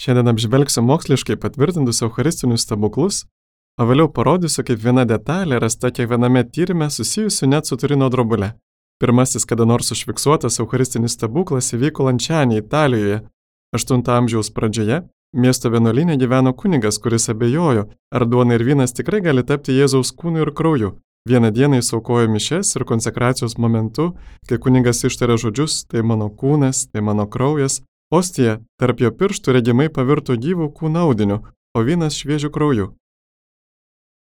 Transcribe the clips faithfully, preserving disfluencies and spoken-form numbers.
Šiandien apžvelgsiu moksliškai patvirtintus eucharistinius stebuklus, o vėliau parodysiu, kaip viena detalė rasta kiekviename tyrime susijusiu net su Turino drobule. Pirmasis kada nors užfiksuotas eucharistinis stebuklas įvyko Lanciane, Italijoje. aštunto amžiaus pradžioje miesto vienuolyne gyveno kunigas, kuris abejojo, ar duona ir vynas tikrai gali tapti Jėzaus kūnu ir krauju. Vieną dieną jis aukojo mišias ir konsekracijos momentu, kai kunigas ištarė žodžius, tai mano kūnas, tai mano kraujas, ostija tarp jo pirštų regimai pavirto gyvų kūno audiniu, o vynas šviežiu krauju.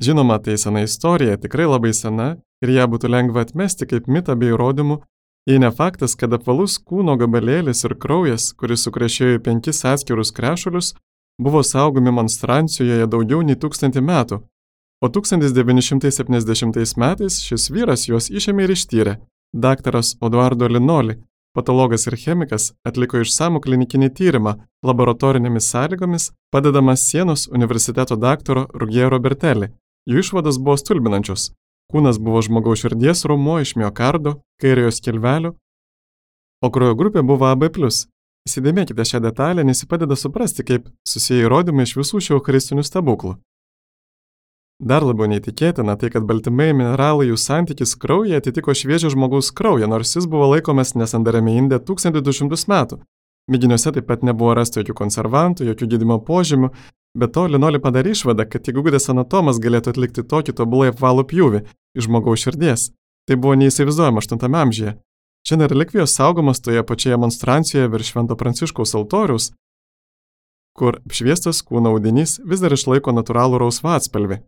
Žinoma, tai sena istorija, tikrai labai sena, ir ją būtų lengva atmesti kaip mitą bei įrodymų, jei ne faktas, kad apvalus kūno gabalėlis ir kraujas, kuris sukrešėjo į penkis atskirus krešulius, buvo saugomi monstrancijoje daugiau nei tūkstantį metų, o tūkstantis devyni šimtai septyniasdešimtais metais šis vyras juos išėmė ir ištyrė. Daktaras Odoardo Linoli, patologas ir chemikas, atliko išsamų klinikinį tyrimą laboratorinėmis sąlygomis, padedamas Sienos universiteto daktaro Ruggiero Bertelli. Jų išvados buvo stulbinančios. Kūnas buvo žmogaus širdies raumuo iš miokardo, kairiojo skilvelio, o kraujo grupė buvo A B plus. Įsidėmėkite šią detalę, nes ji padeda suprasti, kaip susiję įrodymai iš visų šių eucharistinių stebuklų. Dar labiau neįtikėtina tai, kad baltymai mineralai jų santykis kraujyje atitiko šviežio žmogaus kraują, nors jis buvo laikomas nesandariame inde tūkstantį du šimtus metų. Mėginiuose taip pat nebuvo rasta jokių konservantų, jokių gydymo požymių, bet to Linoli padarė išvadą, kad tik įgudęs anatomas galėtų atlikti tokį tobulai apvalų pjūvį iš žmogaus širdies. Tai buvo neįsivaizduojama aštuntame amžiuje. Šiandien relikvijos saugomos toje pačioje monstrancijoje virš Švento Pranciškaus altoriaus, kur apšviestas kūno audinys vis dar išlaiko natūralų rausvą atspalvį.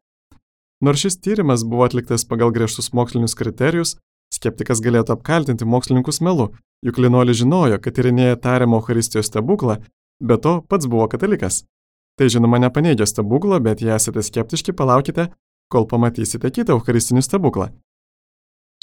Nors šis tyrimas buvo atliktas pagal griežtus mokslinius kriterijus, skeptikas galėtų apkaltinti mokslininkus melu, juk Linoli žinojo, kad tyrinėja tariamą Eucharistijos stebuklą, be to pats buvo katalikas. Tai žinoma nepaneigia stebuklo, bet jei esate skeptiški, palaukite, kol pamatysite kitą eucharistinį stebuklą.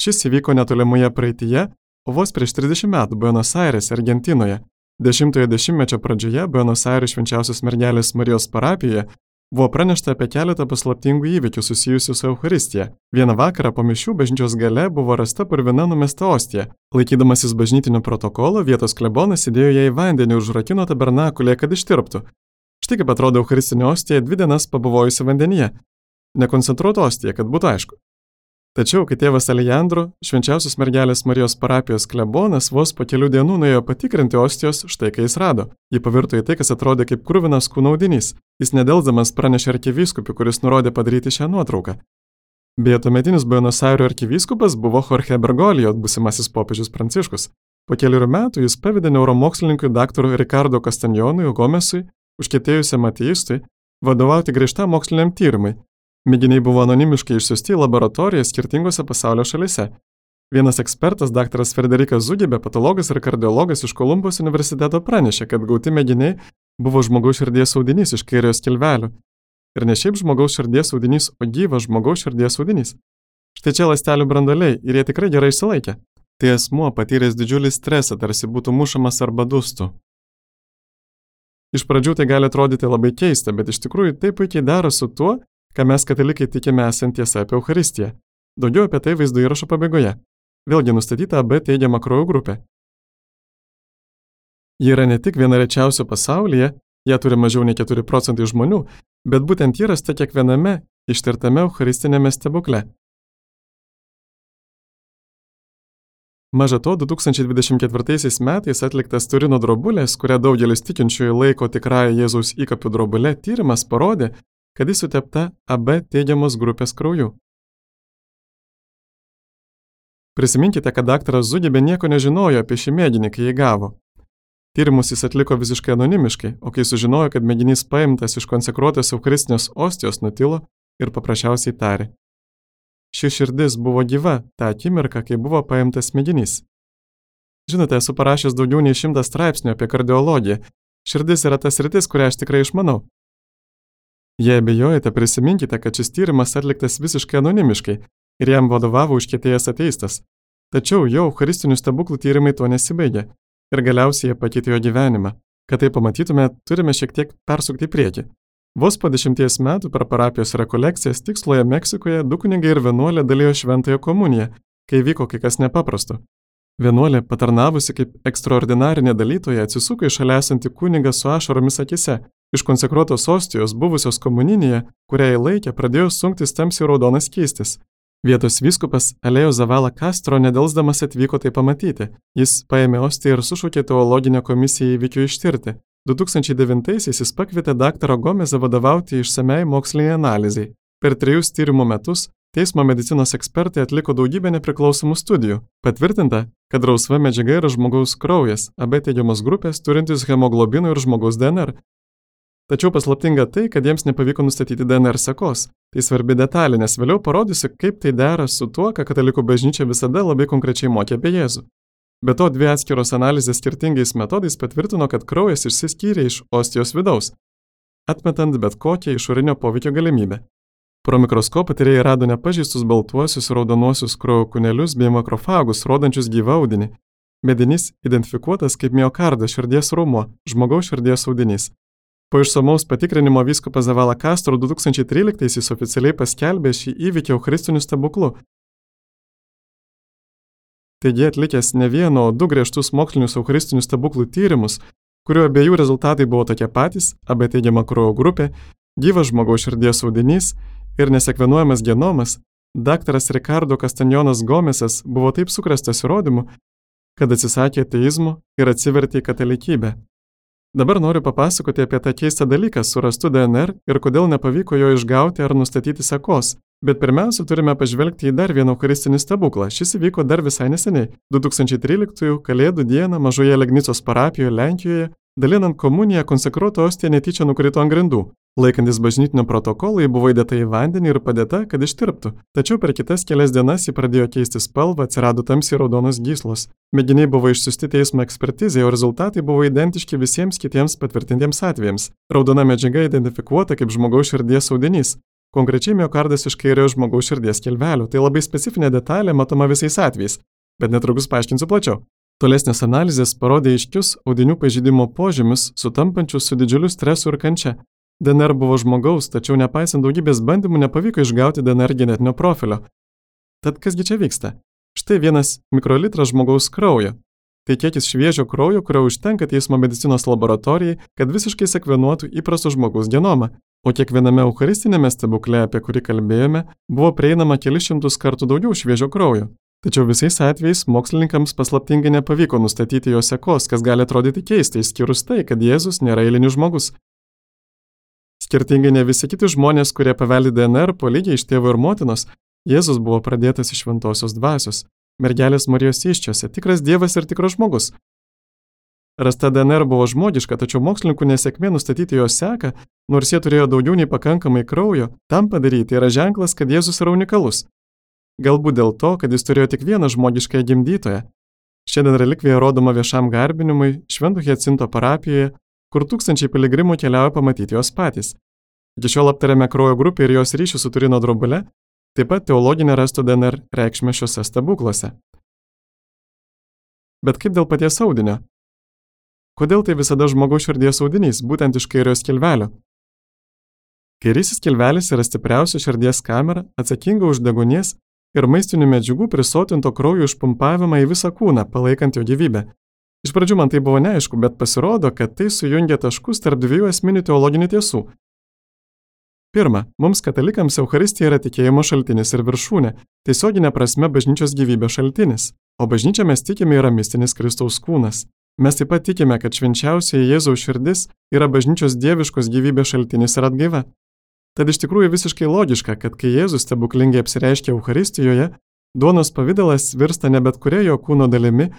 Šis įvyko netolimoje praeityje, o vos prieš trisdešimt metų Buenos Aires, Argentinoje. Dešimtojo dešimtmečio pradžioje Buenos Aires Švenčiausios mergelės Marijos parapijoje buvo pranešta apie keletą paslaptingų įvykių susijusių su Eucharistija. Vieną vakarą po mišių bažnyčios gale buvo rasta purvina numesta ostija. Laikydamasis bažnytinio protokolo, vietos klebonas įdėjo ją į vandenį ir užrakino tabernakulėje, kad ištirptų. Štai kaip atrodo eucharistinė ostija dvi dienas pabuvojusi vandenyje. Nekoncentruota ostija, kad būtų aišku. Tačiau, kai tėvas Alejandro, Švenčiausios mergelės Marijos parapijos klebonas, vos po kelių dienų nuėjo patikrinti ostijos, štai kai jis rado. Ji pavirto į tai, kas atrodė kaip kruvinas kūno audinys. Jis nedelsdamas pranešė arkivyskupiui, kuris nurodė padaryti šią nuotrauką. Beje, tuometinis Buenos Airių arkivyskupas buvo Jorge Bergoglio, būsimasis popiežius Pranciškus. Po kelių metų jis pavedė neuromokslininkui daktarui Ricardo Castagnonui Gomesui, užkietėjusiam ateistui, vadovauti griežtam moksliniam tyrimui. Mėginiai buvo anonimiškai išsiųsti į laboratoriją skirtingose pasaulio šalyse. Vienas ekspertas, daktaras Frederikas Zugibė, patologas ir kardiologas iš Kolumbos universiteto pranešė, kad gauti mėginiai buvo žmogaus širdies audinys iš kairiojo skilvelio. Ir ne šiaip žmogaus širdies audinys, o gyvas žmogaus širdies audinys. Štai čia ląstelių branduoliai ir jie tikrai gerai išsilaikė. Tai asmuo patyręs didžiulį stresą, tarsi būtų mušamas arba dustų. Iš pradžių tai gali atrodyti labai keista, bet iš tikrųjų tai puikiai dera su tuo, ką mes katalikai tikime esant tiesa apie Eucharistiją. Daugiau apie tai vaizdo įrašo pabaigoje. Vėlgi nustatyta A B teigiama kraujo grupė. Ji yra ne tik viena rečiausių pasaulyje, ją turi mažiau nei keturi procentai žmonių, bet būtent ji rasta kiekviename ištirtame eucharistinėme stebukle. Maža to, du tūkstančiai dvidešimt ketvirtaisiais metais atliktas Turino drobulės, kurią daugelis tikinčiųjų laiko tikrąją Jėzaus įkapių drobulę, tyrimas parodė, kad jis sutepta A B teigiamos grupės krauju. Prisiminkite, kad daktaras Zugibė nieko nežinojo apie šį mėginį, kai jį gavo. Tyrimus jis atliko visiškai anonimiškai, o kai sužinojo, kad mėginys paimtas iš konsekruotos eucharistinės ostijos, nutilo ir paprasčiausiai tarė. Ši širdis buvo gyva tą akimirką, kai buvo paimtas mėginys. Žinote, esu parašęs daugiau nei šimtą straipsnių apie kardiologiją. Širdis yra tas sritis, kurią aš tikrai išmanau. Jei abejojate, prisiminkite, kad šis tyrimas atliktas visiškai anonimiškai ir jam vadovavo užkietėjęs ateistas. Tačiau jo eucharistinių stebuklų tyrimai to nesibaigė ir galiausiai jie pakeitė jo gyvenimą. Kad tai pamatytume, turime šiek tiek persukti į priekį. Vos po dešimties metų per parapijos rekolekcijas Tiksloje Meksikoje du kunigai ir vienuolė dalijo šventąją komuniją, kai vyko kai kas nepaprasto. Vienuolė, patarnavusi kaip ekstraordinarinė dalytoja, atsisuko į šalia esantį kunigą su ašaromis akise Iš konsekruotos ostijos buvusios komuninėje, kurią įlaikė, pradėjo sunktis tamsiai raudonas skystis. Vietos vyskupas Alėjo Zavala Castro nedelsdamas atvyko tai pamatyti. Jis paėmė ostiją ir sušaukė teologinę komisiją įvykių ištirti. du tūkstančiai devintaisiais jis pakvietė daktarą Gomezą vadovauti išsamiai moksliniai analizai. Per trejus tyrimų metus teismo medicinos ekspertai atliko daugybę nepriklausomų studijų. Patvirtinta, kad rausva medžiaga yra žmogaus kraujas, abi teigiamos grupės turintis hemoglobino ir žmogaus D N R. Tačiau paslaptinga tai, kad jiems nepavyko nustatyti D N R sekos. Tai svarbi detalė, nes vėliau parodysiu, kaip tai dera su tuo, ką katalikų bažnyčia visada labai konkrečiai mokė apie Jėzų. Be to, dvi atskiros analizės skirtingais metodais patvirtino, kad kraujas išsiskyrė iš ostijos vidaus, atmetant bet kokią išorinio poveikio galimybę. Pro mikroskopą tyrėjai rado nepažeistus baltuosius raudonuosius kraujo kūnelius bei makrofagus, rodančius gyvą audinį. Mėginys identifikuotas kaip miokardo širdies raumuo, žmogaus širdies audinys. Po išsamaus patikrinimo vyskupas Zavala Castro du tūkstančiai tryliktaisiais oficialiai paskelbė šį įvykį eucharistiniu stebuklu. Taigi atlikęs ne vieno, o du griežtus mokslinius eucharistinių stebuklų tyrimus, kurių abiejų rezultatai buvo tokie patys, abi teigiama kraujo grupė, gyvas žmogaus širdies audinys ir nesekvenuojamas genomas, daktaras Ricardo Castañonas Gomesas buvo taip sukrėstas įrodymu, kad atsisakė ateizmo ir atsivertė į katalikybę. Dabar noriu papasakoti apie tą keistą dalyką su rastu D N R ir kodėl nepavyko jo išgauti ar nustatyti sekos. Bet pirmiausia, turime pažvelgti į dar vieną eucharistinį stebuklą. Šis įvyko dar visai neseniai, du tūkstančiai tryliktųjų Kalėdų dieną mažoje Legnicos parapijoje Lenkijoje, dalinant komuniją konsekruota ostija netyčia nukrito ant grindų. Laikantis bažnytinio protokolo, ji buvo įdėta į vandenį ir padėta, kad ištirptų. Tačiau per kitas kelias dienas ji pradėjo keisti spalvą, atsirado tamsiai raudonos gyslos. Mėginiai buvo išsiųsti teismo ekspertizei, o rezultatai buvo identiški visiems kitiems patvirtintiems atvejams. Raudona medžiaga identifikuota kaip žmogaus širdies audinys. Konkrečiai miokardas iš kairiojo žmogaus širdies kelvelių. Tai labai specifinė detalė, matoma visais atvejais, bet netrukus paaiškinsiu plačiau. Tolesnės analizės parodė aiškius audinių pažeidimo požymius, sutampančius su didžiuliu stresu ir kančia. D N R buvo žmogaus, tačiau nepaisant daugybės bandymų nepavyko išgauti D N R genetinio profilio. Tad kasgi čia vyksta? Štai vienas mikrolitras žmogaus kraujo. Tai kiekis šviežio kraujo, kurio užtenka teismo medicinos laboratorijai, kad visiškai sekvenuotų įprasto žmogaus genomą. O kiekviename eucharistinėme stebukle, apie kurį kalbėjome, buvo prieinama kelis šimtus kartų daugiau šviežio kraujo. Tačiau visais atvejais mokslininkams paslaptingai nepavyko nustatyti jo sekos, kas gali atrodyti keistai, išskyrus tai, kad Jėzus nėra eilinis žmogus. Skirtingai ne visi kiti žmonės, kurie paveldi D N R po lygiai iš tėvo ir motinos, Jėzus buvo pradėtas iš šventosios dvasios, mergelės Marijos įsčiose, tikras Dievas ir tikras žmogus. Rasta D N R buvo žmogiška, tačiau mokslininkų nesėkmė nustatyti jo seką, nors jie turėjo daugiau nei pakankamai kraujo, tam padaryti yra ženklas, kad Jėzus yra unikalus. Galbūt dėl to, kad jis turėjo tik vieną žmogiškąją gimdytoją. Šiandien relikvija rodoma viešam garbinimui Švento Hiacinto parapijoje, kur tūkstančiai piligrimų keliauja pamatyti jos patys. Iki šiol aptarėme kraujo grupę ir jos ryšį su Turino drobule, taip pat teologinę rasto D N R reikšmę šiuose stebuklose. Bet kaip dėl paties audinio? Kodėl tai visada žmogaus širdies audinys, būtent iš kairiojo skilvelio? Kairysis skilvelis yra stipriausia širdies kamera, atsakinga už deguonies ir maistinių medžiagų prisotinto kraujo išpumpavimą į visą kūną, palaikant jo gyvybę. Iš pradžių man tai buvo neaišku, bet pasirodo, kad tai sujungia taškus tarp dviejų esminių teologinių tiesų. Pirma, mums katalikams Eucharistija yra tikėjimo šaltinis ir viršūnė, tiesioginė prasme bažnyčios gyvybės šaltinis, o bažnyčia mes tikime yra mistinis Kristaus kūnas. Mes taip pat tikime, kad švenčiausioji Jėzaus širdis yra bažnyčios dieviškos gyvybės šaltinis ir atgaiva. Tad iš tikrųjų visiškai logiška, kad kai Jėzus stebuklingai apsireiškia Eucharistijoje, duonos pavidalas virsta ne bet kuria jo kūno dalimi,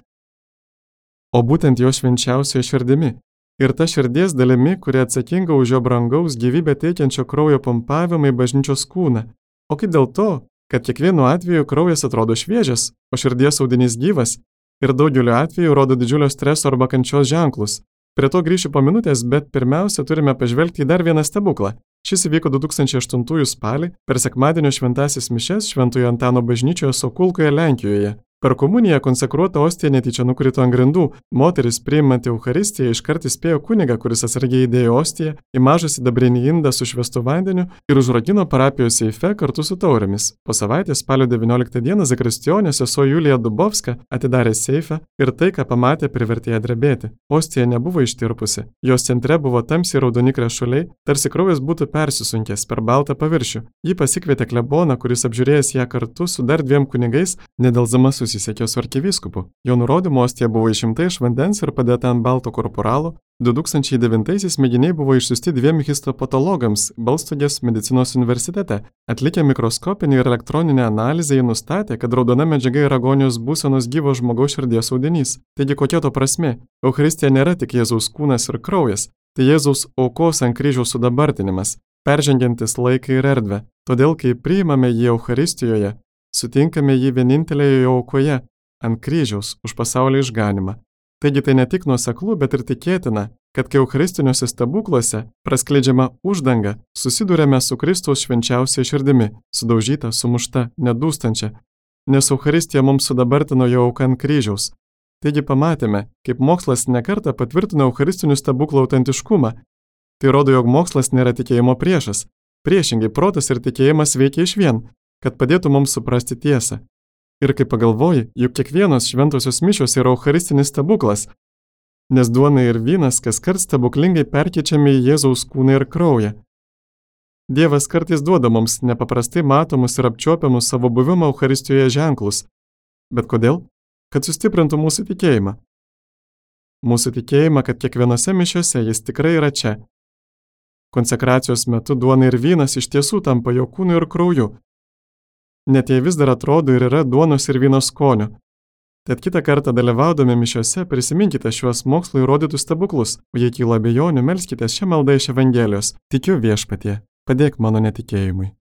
o būtent jo švenčiausioje širdimi. Ir ta širdies dalimi, kuri atsakinga už jo brangaus gyvybę teikiančio kraujo pumpavimą į bažnyčios kūną. O kaip dėl to, kad kiekvienu atveju kraujas atrodo šviežias, o širdies audinys gyvas, ir daugeliu atveju rodo didžiulio streso arba kančios ženklus. Prie to grįšiu po minutės, bet pirmiausia turime pažvelgti į dar vieną stebuklą. Šis įvyko du tūkstančiai aštuntųjų spalį per sekmadienio šventasis mišias Šventojo Antano bažnyčioje Sokulkoje, Lenkijoje. Per komuniją konsekruota ostija netyčia nukrito ant grindų. Moteris, priimanti Eucharistiją, iškart įspėjo kunigą, kuris atsargiai įdėjo ostiją į mažą sidabrinį indą su švęstu vandeniu ir užrakino parapijos seife kartu su taurėmis. Po savaitės spalio devynioliktą dieną zakristijonė sesuo Julija Dubovska atidarė seifą ir tai, ką pamatė, privertė ją drebėti. Ostija nebuvo ištirpusi. Jos centre buvo tamsiai raudoni krešuliai, tarsi kraujas būtų persisunkęs per baltą paviršių. Ji pasikvietė kleboną, kuris apžiūrėjęs ją kartu su dar dviem kunigais, nedelsdama susisiekė su arkivyskupu. Jo nurodymu ostija buvo išimta iš vandens ir padėta ant balto korporalo. du tūkstančiai devintaisiais mėginiai buvo išsiųsti dviem histopatologams Balstogės medicinos universitete. Atlikę mikroskopinį ir elektroninę analizę, jie nustatė, kad raudona medžiaga yra agonijos būsenos gyvo žmogaus širdies audinys. Taigi kokia to prasmė? Eucharistija nėra tik Jėzaus kūnas ir kraujas, tai Jėzaus aukos ant kryžiaus sudabartinimas, peržengiantis laiką ir erdvę. Todėl, kai priimame jį Eucharistijoje, sutinkame jį vienintelėje jo aukoje, ant kryžiaus, už pasaulio išganimą. Taigi tai ne tik nuoseklu, bet ir tikėtina, kad kai eucharistiniuose stebukluose praskleidžiama uždanga, susidūrėme su Kristaus švenčiausia širdimi, sudaužyta, sumušta, nedūstančia, nes Eucharistija mums sudabartino jo auką ant kryžiaus. Taigi pamatėme, kaip mokslas nekartą patvirtino eucharistinių stebuklų autentiškumą. Tai rodo, jog mokslas nėra tikėjimo priešas. Priešingai, protas ir tikėjimas veikia išvien, kad padėtų mums suprasti tiesą. Ir kai pagalvoji, juk kiekvienos šventosios mišios yra eucharistinis stebuklas, nes duona ir vynas kaskart stebuklingai perkeičiami į Jėzaus kūną ir kraują. Dievas kartais duoda mums nepaprastai matomus ir apčiuopiamus savo buvimo Eucharistijoje ženklus. Bet kodėl? Kad sustiprintų mūsų tikėjimą. Mūsų tikėjimą, kad kiekvienose mišiose jis tikrai yra čia. Konsekracijos metu duona ir vynas iš tiesų tampa jo kūnu ir krauju. Net jei vis dar atrodo ir yra duonos ir vyno skonio. Tad kitą kartą dalyvaudami mišiose prisiminkite šiuos mokslo įrodytus stebuklus, o jei kyla abejonių, melskite šią maldą iš Evangelijos. Tikiu Viešpatie, padėk mano netikėjimui.